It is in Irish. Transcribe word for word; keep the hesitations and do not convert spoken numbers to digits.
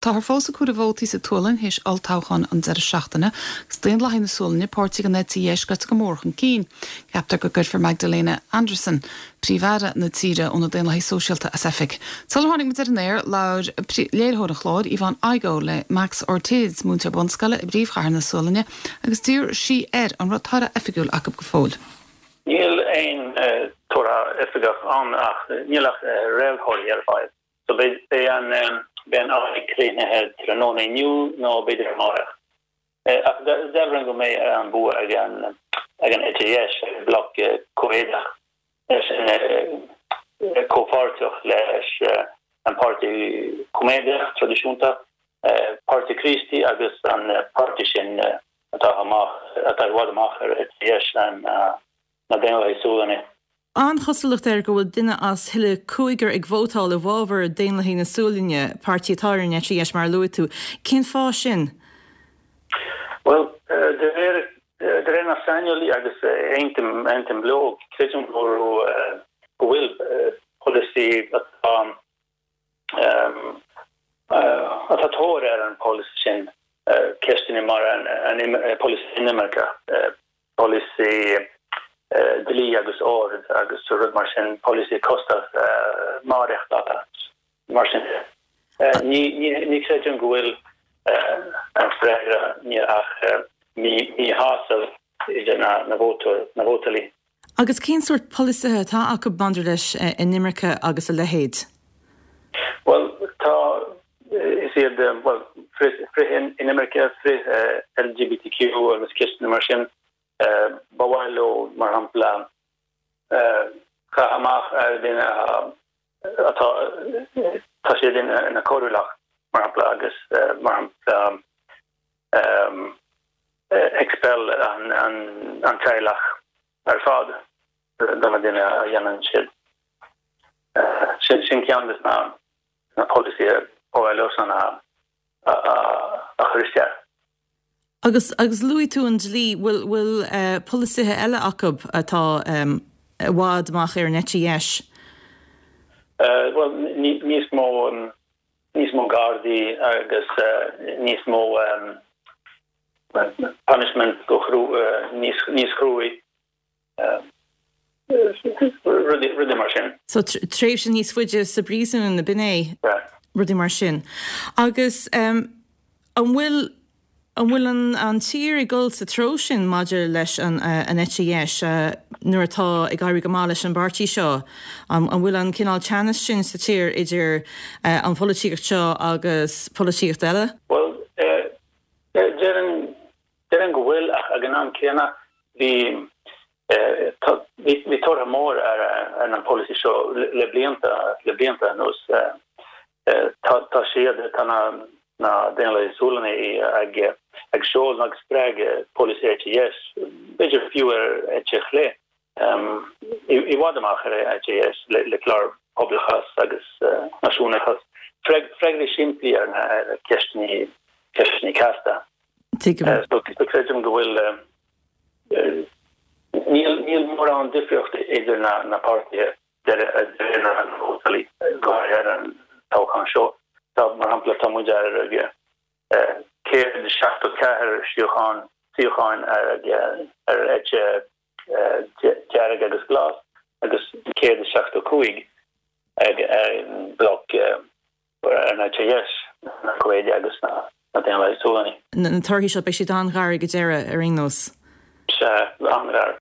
Táthar fós ag comhaireamh vótaí sa tSualainn théis olltoghchán an deireadh seachtaine agus Daonlathaigh na Sualainne, páirtí an eite dheis, gaibhte go mór chun cinn. Ceaptar go gcuirfear Magdalena Andersson, Príomh-Aire na tíre ó na Daonlathaigh Sóisialta, as oifig. Sular tháinig muid ar an aer, labhair léiritheoir an chláir, Yvonne Igoe, le Max Ortiz, múinteoir bunscoile i bpríomhchathair na Sualainne, agus d'iarr sí air an raibh toradh oifigiúil acu go fóill. Níl aon toradh oifigeach ann ach níl ach réamhthorthaí ar fáil. So beidh an beidh an aghaidh críochnaithe tráthnóna inniu nó b'fhéidir amárach. Ach dealraíonn go mbeidh an bua ag an ag an eite dheis, ag bloc Comhéadach, sin comhpháirteach leis an Páirtí Coimeádach traidisiúnta, Páirtí Críostaí agus an páirtí sin atá amach atá i bhfad amach ar eite dheis an na Daonlathaigh Sualannaigh. An-chosúlacht air go bhfuil duine as chuile cúigear ag vótáil i bhfabhar Daonlathaigh na Sualainne, páirtí atá ar an eite dheis mar a luaigh tú. Cén fáth sin? Bhuel, de réir de réir na saineolaí agus aontaím aontaím leo, creidim go raibh go bhfuil polasaí atá atá tóir ar an polasaí sin, ceisteanna mar an polasaí inimirce, polasaí dlí agus ord agus rud mar sin, polasaí costas maireachtála mar sin. Ní ní chreidim go bhfuil an freagra ní ach míshásamh idir na na vótóir na vótálaí. Agus cén sórt polasaithe atá acu maidir leis inimirce agus a leithéid? Bhuel, tá is iad bhuel frith frith inimirce, frith L G B T Q agus ceisteanna mar sin. Ba mhaith leo, mar shampla, caitheamh amach ar duine atá tá siad ina coiriúlach, mar shampla, agus mar shampla expel an an an teaghlach ar fad do na duine a dhéanann siad. Sin sin ceann de na na polasaithe ba mhaith leosan a a a chur isteach. Agus agus luaigh tú an dlí, bhfuil bhfuil polasaithe eile acu atá i bhfad amach ar an eite dheis? Bhuel, níos mó níos mó gardaí agus níos mó punishment go níos níos cruaí. Rudaí mar sin. So tréimhse níos faide sa bpríosún na binné rudaí mar sin. Agus um, an bhfuil an bhfuil an, an tír ag dul sa treo sin maidir leis an, uh, an eite dheis uh, nuair atá ag éirí go maith leis an bpáirtí seo? An, an bhfuil an cineál teannas sin sa tír idir uh, an pholaitíocht seo agus polaitíocht eile? Well, déarfainn go bhfuil, ach ag an am céanna bhí bhí tóir mór ar ar an polasaí seo le blianta le blianta anuas. Tá siad tá na na Daonlathaigh Sualannaigh ag ag seoladh agus spreagadh polasaí eite dheis, b'fhéidir fiú ar eite chlé, i bhfad amach ar eite dheis le le clár poblachas agus náisiúnachas. Freagraí simplí ar na ceisteanna ceisteanna casta. So creidim go bhfuil níl níl mórán difríocht idir na na páirtithe de réir na vótálaí, go háirithe an toghchán seo. Tá, mar shampla, tá muid ar céad seachtó ceathair suíochán suíocháin ar ar eite dearg agus glas agus céad seachtó cúig ag an bloc ar an eite dheis, na Comhéadaigh agus na na Daonlathaigh Sualannaigh. Na torthaí seo, beidh siad an-ghar ag deireadh ar aon nós. Sea, an-ghar.